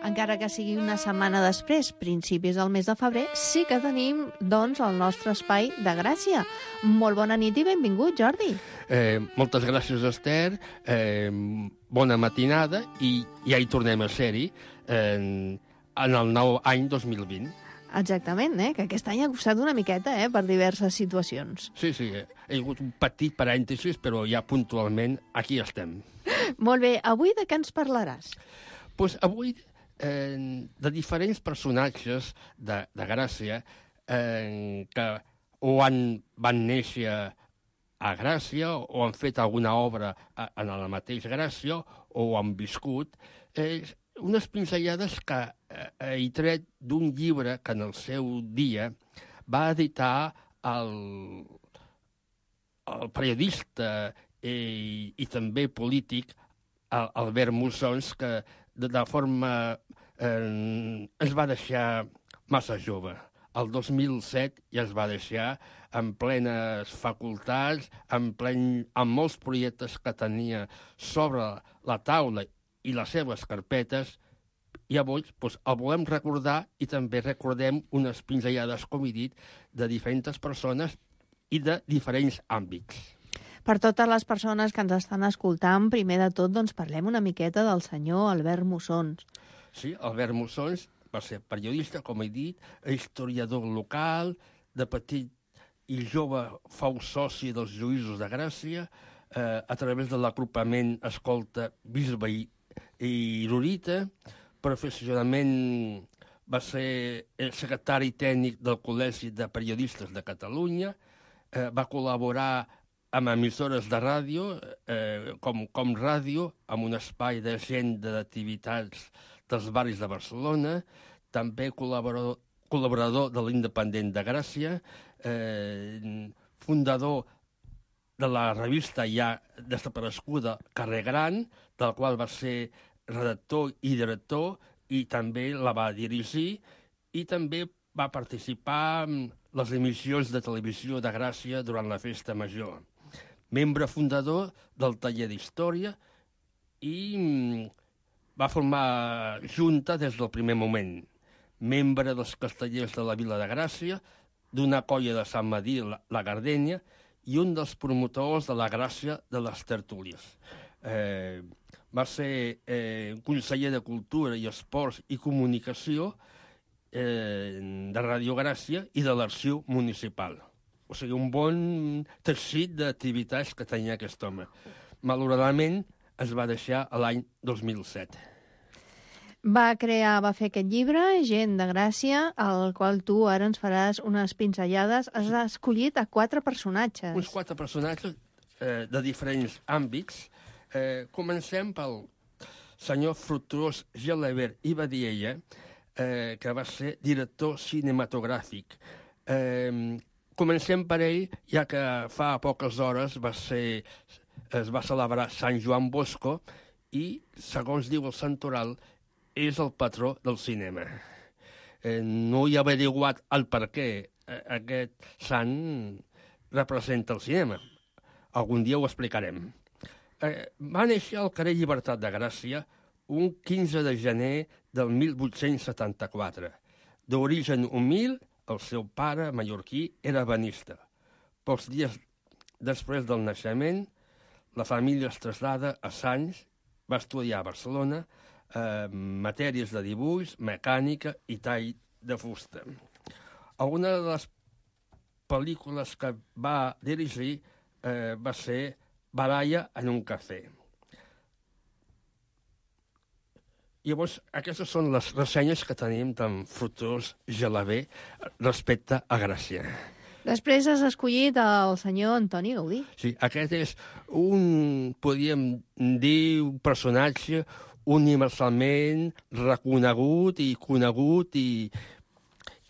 Encara que sigui una setmana després, principis del mes de febrer, sí que tenim, doncs, el nostre espai de Gràcia. Molt bona nit i benvingut, Jordi. Eh, moltes gràcies, Esther. Eh, bona matinada i ja hi tornem a ser-hi eh, en el nou any dos mil vint. Exactament, eh? Que aquest any ha costat una miqueta, eh? Per diverses situacions. Sí, sí, eh? He hagut un petit parèntesis, però ja puntualment aquí estem. Molt bé, avui de què ens parlaràs? Pues avui eh, de diferents personatges de, de Gràcia eh, que o han, van néixer a Gràcia o han fet alguna obra a, en la mateixa Gràcia o han viscut. Eh, unes pinzellades que eh, he tret d'un llibre que en el seu dia va editar el, el periodista i, i també polític Albert Mussons, que de, de forma eh, es va deixar massa jove. El dos mil set ja es va deixar en plenes facultats, en, plen, en molts projectes que tenia sobre la taula i les seves carpetes, i avui doncs, el volem recordar i també recordem unes pinzellades, com he dit, de diferents persones i de diferents àmbits. Per totes les persones que ens estan escoltant, primer de tot, doncs parlem una miqueta del senyor Albert Mussons. Sí, Albert Mussons va ser periodista, com he dit, historiador local, de petit i jove fou soci dels Lluïsos de Gràcia, eh, a través de l'agrupament Escolta Bisbe i, i Rorita. Professionalment va ser el secretari tècnic del Col·legi de Periodistes de Catalunya, eh, va col·laborar amb emissores de ràdio, eh, com, com ràdio, amb un espai d'agenda d'activitats dels barris de Barcelona, també col·laborador, col·laborador de l'Independent de Gràcia, eh, fundador de la revista ja desapareguda Carrer Gran, del qual va ser redactor i director, i també la va dirigir, i també va participar en les emissions de televisió de Gràcia durant la Festa Major. Membre fundador del Taller d'Història i va formar junta des del primer moment. Membre dels Castellers de la Vila de Gràcia, d'una colla de Sant Madí, la, la Gardènia, i un dels promotors de la Gràcia de les Tertúlies. Eh, va ser eh, conseller de Cultura i Esports i Comunicació eh, de Ràdio Gràcia i de l'Arxiu Municipal. O sigui, un bon teixit d'activitats que tenia aquest home. Malauradament, es va deixar l'any dos mil set. Va crear, va fer aquest llibre, Gent de Gràcia, al qual tu ara ens faràs unes pinzellades. Has escollit a quatre personatges. Uns quatre personatges eh, de diferents àmbits. Eh, comencem pel senyor Fructuós Gelabert i Badiella, eh, que va ser director cinematogràfic. Eh, comencem per ell, ja que fa poques hores va ser, es va celebrar Sant Joan Bosco i, segons diu el santoral, és el patró del cinema. Eh, no hi ha averiguat el per què aquest sant representa el cinema. Algun dia ho explicarem. Eh, va néixer al carrer Llibertat de Gràcia un quinze de gener del mil vuit-cents setanta-quatre. D'origen humil, el seu pare, mallorquí, era ebenista. Pocs dies després del naixement, la família es trasllada a Sants, va estudiar a Barcelona eh, matèries de dibuix, mecànica i tall de fusta. Alguna de les pel·lícules que va dirigir eh, va ser Baralla en un cafè. Llavors, aquestes són les ressenyes que tenim d'en Fructuós Gelabé respecte a Gràcia. Després has escollit el senyor Antoni Gaudí. Sí, aquest és un, podríem dir, un personatge universalment reconegut i conegut i,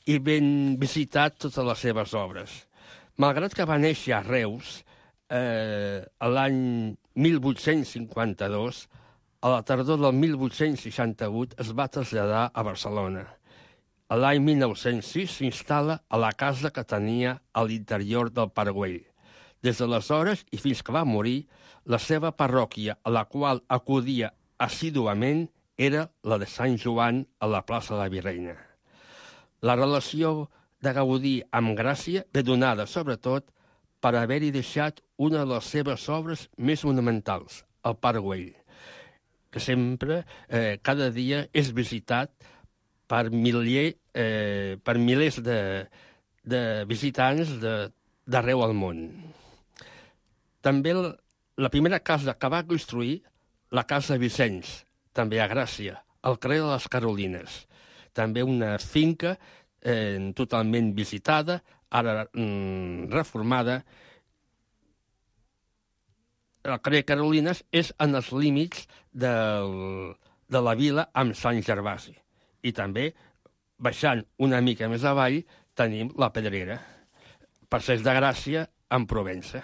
i ben visitat totes les seves obres. Malgrat que va néixer a Reus eh, l'any mil vuit-cents cinquanta-dos, a la tardor del mil vuit-cents seixanta-vuit es va traslladar a Barcelona. A l'any mil nou-cents sis s'instal·la a la casa que tenia a l'interior del Parguell. Des d'aleshores i fins que va morir, la seva parròquia, a la qual acudia assíduament, era la de Sant Joan a la plaça de la Virreina. La relació de Gaudí amb Gràcia ve donada, sobretot, per haver-hi deixat una de les seves obres més monumentals, el Parguell, que sempre, eh, cada dia, és visitat per, milier, eh, per milers de, de visitants d'arreu al món. També la, la primera casa que va construir, la Casa Vicenç, també a Gràcia, al carrer de les Carolines. També una finca eh, totalment visitada, ara mm, reformada. El carrer Carolines és en els límits del, de la vila amb Sant Gervasi. I també, baixant una mica més avall, tenim la Pedrera, Passeig de Gràcia, en Provença.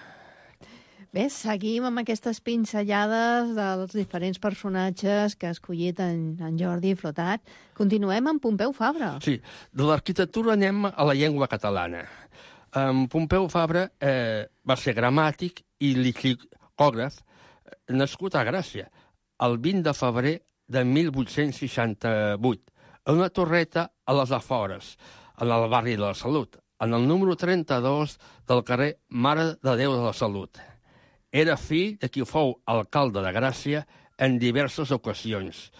Bé, seguim amb aquestes pinzellades dels diferents personatges que ha escollit en, en Jordi Flotat. Continuem amb Pompeu Fabra. Sí, de l'arquitectura anem a la llengua catalana. En Pompeu Fabra eh, va ser gramàtic i lexicògraf, nascut a Gràcia, el vint de febrer de mil vuit-cents seixanta-vuit, en una torreta a les afores, en el barri de la Salut, en el número trenta-dos del carrer Mare de Déu de la Salut. Era fill de qui fou alcalde de Gràcia en diverses ocasions,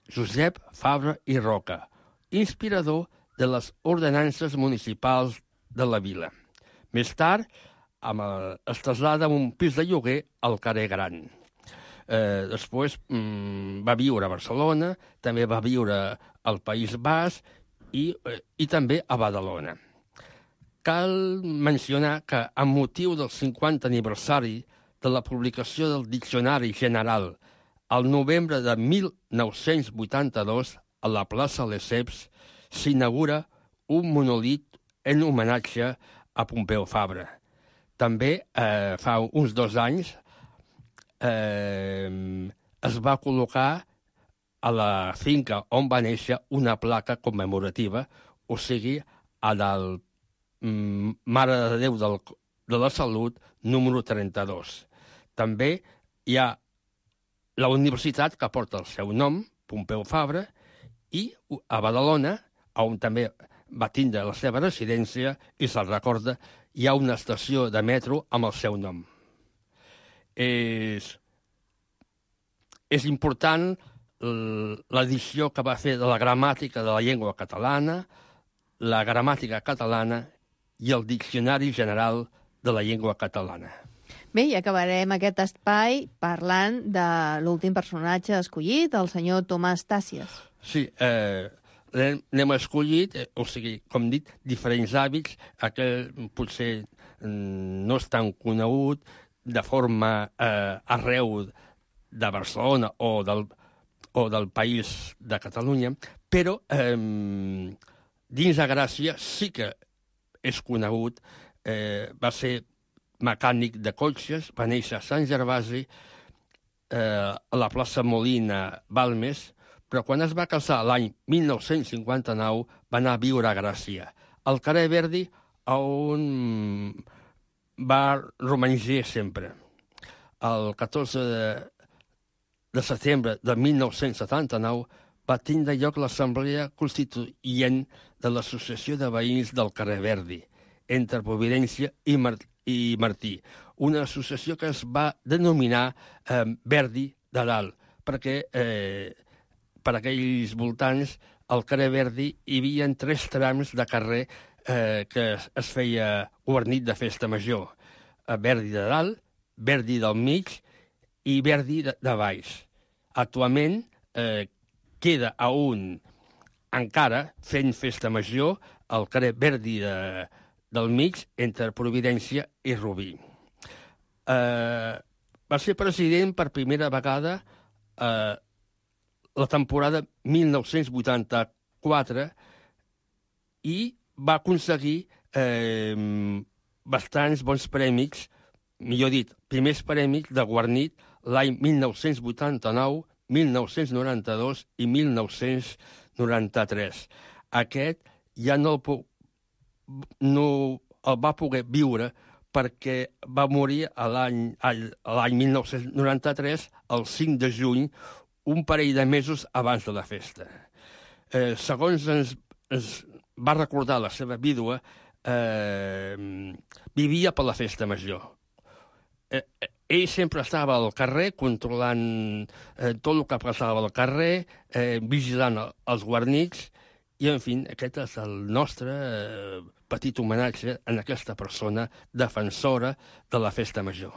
Josep Fabra i Roca, inspirador de les ordenances municipals de la vila. Més tard, amb el, es trasllada a un pis de lloguer al carrer Gran. Eh, després mm, va viure a Barcelona, també va viure al País Basc i, eh, i també a Badalona. Cal mencionar que, amb motiu del cinquanta aniversari de la publicació del Diccionari General al novembre de mil nou-cents vuitanta-dos, a la plaça Lesseps, s'inaugura un monolit en homenatge a Pompeu Fabra. També, eh, fa uns dos anys, eh, es va col·locar a la finca on va néixer una placa commemorativa, o sigui, a del mm, Mare de Déu del, de la Salut, número trenta-dos. També hi ha la universitat que porta el seu nom, Pompeu Fabra, i a Badalona, on també va tindre la seva residència, i se'l recorda, hi ha una estació de metro amb el seu nom. És, és important l'edició que va fer de la gramàtica de la llengua catalana, la gramàtica catalana i el Diccionari General de la Llengua Catalana. Bé, i acabarem aquest espai parlant de l'últim personatge escollit, el senyor Tomàs Tàcies. Sí, eh, n'hem escollit, eh, o sigui, com dit, diferents hàbits, aquell potser mm, no és tan conegut de forma eh, arreu de Barcelona o del, o del país de Catalunya, però eh, dins de Gràcia sí que és conegut eh, va ser mecànic de cotxes, va néixer a Sant Gervasi, eh, a la plaça Molina, Balmes, però quan es va casar l'any mil nou-cents cinquanta-nou va anar a viure a Gràcia, al carrer Verdi, on va romanejar sempre. El catorze de, de setembre de mil nou-cents setanta-nou va tindre lloc l'assemblea constituent de l'Associació de Veïns del carrer Verdi, entre Providència i, Mar i Martí, una associació que es va denominar eh, Verdi de Dalt, perquè eh, per aquells voltants al carrer Verdi hi havia tres trams de carrer eh, que es, es feia guarnit de festa major. Eh, Verdi de Dalt, Verdi del mig i Verdi de, de baix. Actualment eh, queda a un encara fent festa major al carrer Verdi de, del mig entre Providència i Rubí. Eh, va ser president per primera vegada eh, la temporada mil nou-cents vuitanta-quatre i va aconseguir eh, bastants bons prèmits, millor dit, primers prèmits de guarnit l'any mil nou-cents vuitanta-nou, mil nou-cents noranta-dos i mil nou-cents noranta-tres. Aquest ja no el, puc, no el va poder viure perquè va morir l'any mil nou-cents noranta-tres, el cinc de juny, un parell de mesos abans de la festa. Eh, segons ens, ens va recordar la seva vídua, eh, vivia per la festa major. Eh, ell sempre estava al carrer controlant eh, tot el que passava al carrer, eh, vigilant els guarnits, i, en fi, aquest és el nostre eh, petit homenatge a aquesta persona defensora de la festa major.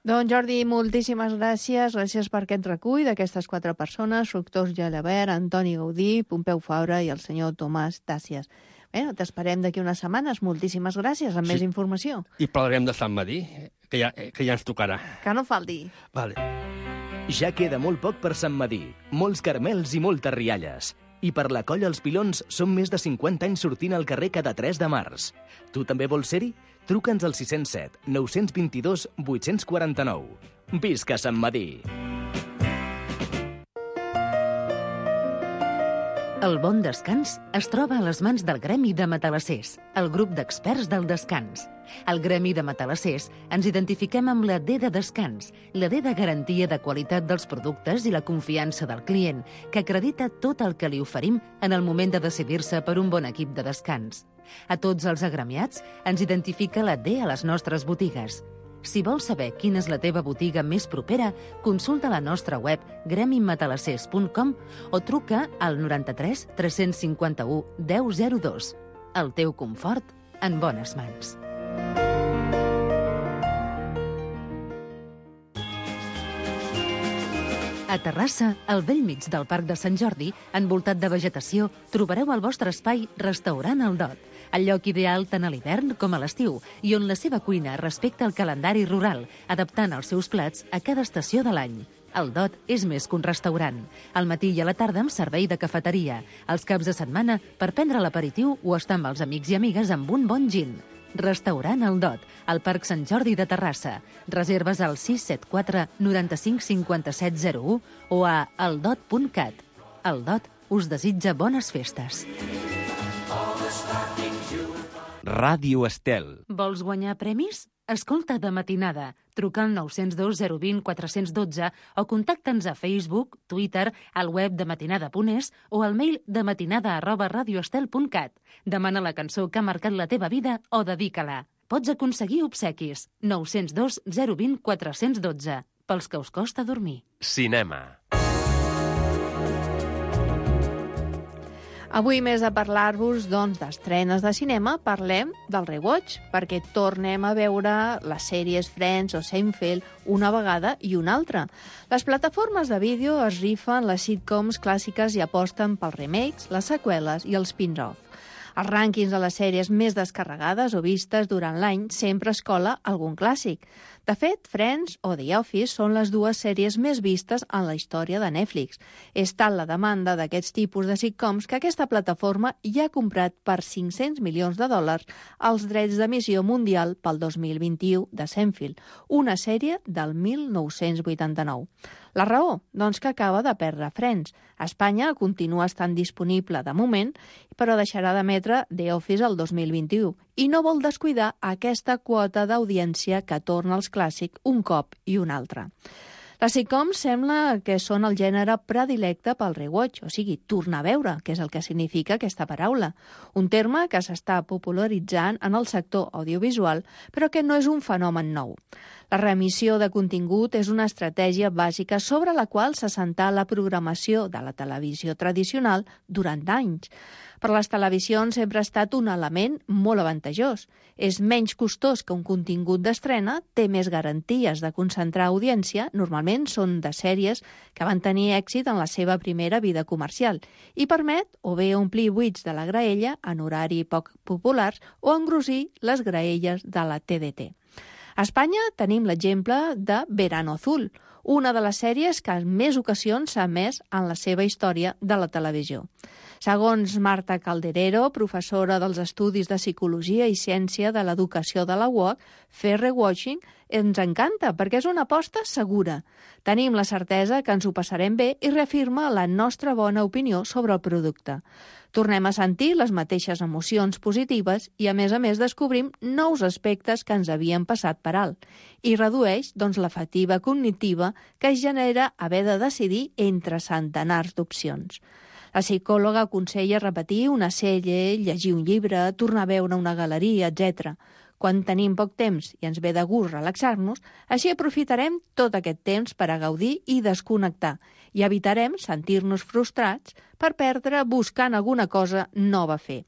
Doncs Jordi, moltíssimes gràcies. Gràcies per aquest recull d'aquestes quatre persones, Fructós Gelabert, Antoni Gaudí, Pompeu Fabra i el senyor Tomàs Tàcies. Bé, t'esperem d'aquí unes setmanes. Moltíssimes gràcies, amb sí. més informació. I parlarem de Sant Madí, que ja, que ja ens tocarà. Que no falti. Vale. Ja queda molt poc per Sant Madí, molts carmels i moltes rialles. I per la Colla Els Pilons són més de cinquanta anys sortint al carrer cada tres de març. Tu també vols ser-hi? Truca'ns al sis zero set, nou dos dos, vuit quatre nou. Visca Sant Madí! El bon descans es troba a les mans del Gremi de Matalassers, el grup d'experts del descans. Al Gremi de Matalassers ens identifiquem amb la D de descans, la D de garantia de qualitat dels productes i la confiança del client, que acredita tot el que li oferim en el moment de decidir-se per un bon equip de descans. A tots els agremiats ens identifica la D a les nostres botigues. Si vols saber quina és la teva botiga més propera, consulta la nostra web gremi matalassers punt com o truca al noranta-tres tres cinquanta-u deu zero dos. El teu confort en bones mans. A Terrassa, al bell mig del Parc de Sant Jordi, envoltat de vegetació, trobareu el vostre espai Restaurant El Dot, el lloc ideal tant a l'hivern com a l'estiu, i on la seva cuina respecta el calendari rural, adaptant els seus plats a cada estació de l'any. El Dot és més que un restaurant. Al matí i a la tarda amb servei de cafeteria. Els caps de setmana per prendre l'aperitiu o estar amb els amics i amigues amb un bon gin. Restaurant El Dot, al Parc Sant Jordi de Terrassa. Reserves al sis set quatre, noranta-cinc, cinquanta-set, zero u o a eldot punt cat. El Dot us desitja bones festes. Ràdio Estel. Vols guanyar premis? Escolta de matinada. Truca al nou zero dos, zero dos zero, quatre un dos o contacta'ns a Facebook, Twitter, al web de matinada punt es o al mail de matinada arroba radioestel punt cat. Demana la cançó que ha marcat la teva vida o dedica-la. Pots aconseguir obsequis. nou zero dos, zero dos zero, quatre un dos. Pels que us costa dormir. Cinema. Avui, més de parlar-vos doncs, d'estrenes de cinema, parlem del rewatch, perquè tornem a veure les sèries Friends o Seinfeld una vegada i una altra. Les plataformes de vídeo es rifen les sitcoms clàssiques i aposten pels remakes, les seqüeles i els spin-off. Els rànquings de les sèries més descarregades o vistes durant l'any sempre es cola algun clàssic. De fet, Friends o The Office són les dues sèries més vistes en la història de Netflix. És tal la demanda d'aquests tipus de sitcoms que aquesta plataforma ja ha comprat per cinc-cents milions de dòlars els drets d'emissió mundial pel dos mil vint-i-u de Seinfeld, una sèrie del mil nou-cents vuitanta-nou. La raó? Doncs que acaba de perdre Friends. A Espanya continua estant disponible de moment, però deixarà d'emetre The Office el dos mil vint-i-u i no vol descuidar aquesta quota d'audiència que torna als clàssics un cop i un altre. Les sitcoms sembla que són el gènere predilecte pel rewatch, o sigui, tornar a veure, que és el que significa aquesta paraula. Un terme que s'està popularitzant en el sector audiovisual, però que no és un fenomen nou. La reemissió de contingut és una estratègia bàsica sobre la qual s'assentà la programació de la televisió tradicional durant anys. Per les televisions sempre ha estat un element molt avantajós. És menys costós que un contingut d'estrena, té més garanties de concentrar audiència, normalment són de sèries que van tenir èxit en la seva primera vida comercial, i permet o bé omplir buits de la graella en horari poc populars o engrossir les graelles de la T D T. A Espanya tenim l'exemple de Verano Azul, una de les sèries que en més ocasions s'ha emès en la seva història de la televisió. Segons Marta Calderero, professora dels Estudis de Psicologia i Ciència de l'Educació de la U O C, fer rewatching ens encanta perquè és una aposta segura. Tenim la certesa que ens ho passarem bé i reafirma la nostra bona opinió sobre el producte. Tornem a sentir les mateixes emocions positives i, a més a més, descobrim nous aspectes que ens havien passat per alt i redueix doncs, la fatiga cognitiva que es genera haver de decidir entre centenars d'opcions. La psicòloga aconsella repetir una sèrie, llegir un llibre, tornar a veure una galeria, etcètera. Quan tenim poc temps i ens ve de gust relaxar-nos, així aprofitarem tot aquest temps per a gaudir i desconnectar i evitarem sentir-nos frustrats per perdre buscant alguna cosa nova a fer.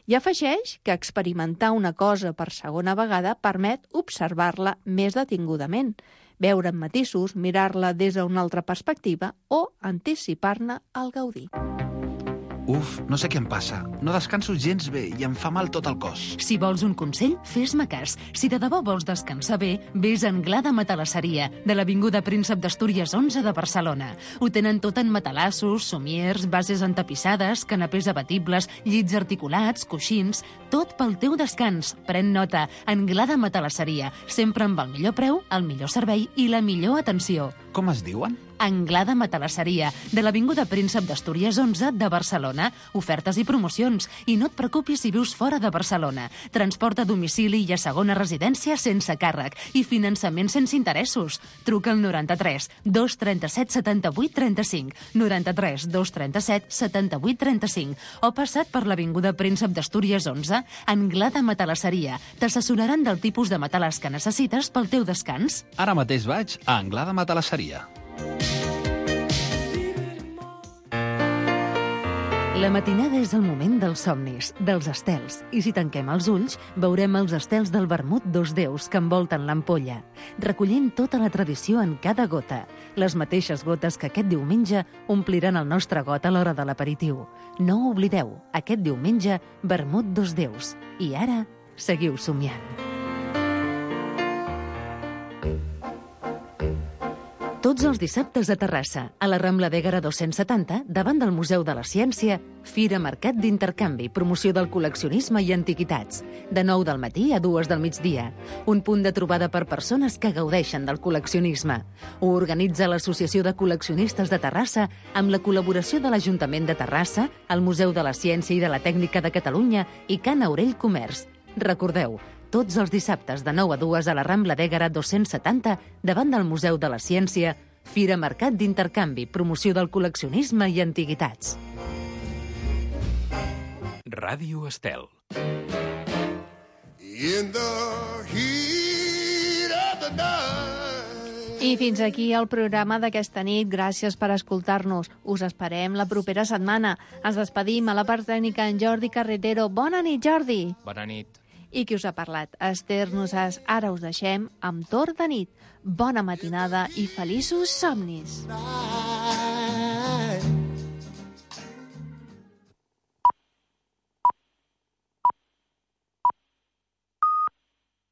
I afegeix que experimentar una cosa per segona vegada permet observar-la més detingudament, veure en matisos, mirar-la des d'una altra perspectiva o anticipar-ne el gaudir. Uf, no sé què em passa. No descanso gens bé i em fa mal tot el cos. Si vols un consell, fes-me cas. Si de debò vols descansar bé, vés a Anglada Matalasseria, de l'Avinguda Príncep d'Astúries onze de Barcelona. Ho tenen tot en matalassos, somiers, bases entapissades, canapés abatibles, llits articulats, coixins... Tot pel teu descans. Pren nota. Anglada Matalasseria. Sempre amb el millor preu, el millor servei i la millor atenció. Com es diuen? Anglada Matalasseria, de l'Avinguda Príncep d'Astúries onze de Barcelona. Ofertes i promocions. I no et preocupis si vius fora de Barcelona. Transport a domicili i a segona residència sense càrrec. I finançament sense interessos. Truca al noranta-tres dos trenta-set setanta-vuit trenta-cinc, noranta-tres dos trenta-set setanta-vuit trenta-cinc, o passat per l'Avinguda Príncep d'Astúries onze, Anglada Matalasseria. T'assessoraran del tipus de matalàs que necessites pel teu descans. Ara mateix vaig a Anglada Matalasseria. La matinada és el moment dels somnis, dels estels, i si tanquem els ulls, veurem els estels del vermut dos déus que envolten l'ampolla, recollint tota la tradició en cada gota, les mateixes gotes que aquest diumenge ompliran el nostre got a l'hora de l'aperitiu. No ho oblideu, aquest diumenge, vermut dos déus. I ara, seguiu somiant. Tots els dissabtes a Terrassa, a la Rambla d'Ègara dos-cents setanta, davant del Museu de la Ciència, Fira Mercat d'Intercanvi, promoció del col·leccionisme i antiguitats. De nou del matí a dues del migdia. Un punt de trobada per persones que gaudeixen del col·leccionisme. Ho organitza l'Associació de Col·leccionistes de Terrassa amb la col·laboració de l'Ajuntament de Terrassa, el Museu de la Ciència i de la Tècnica de Catalunya i Can Aurell Comerç. Recordeu, tots els dissabtes de nou a dues a la Rambla d'Ègara dos-cents setanta, davant del Museu de la Ciència, Fira Mercat d'Intercanvi, promoció del col·leccionisme i antiguitats. Ràdio Estel. In the heat of the night. I fins aquí el programa d'aquesta nit. Gràcies per escoltar-nos. Us esperem la propera setmana. Ens despedim a la part tècnica en Jordi Carretero. Bona nit, Jordi. Bona nit. I qui us ha parlat? Esther Nosàs. Ara us deixem amb Torn de nit. Bona matinada i feliços somnis.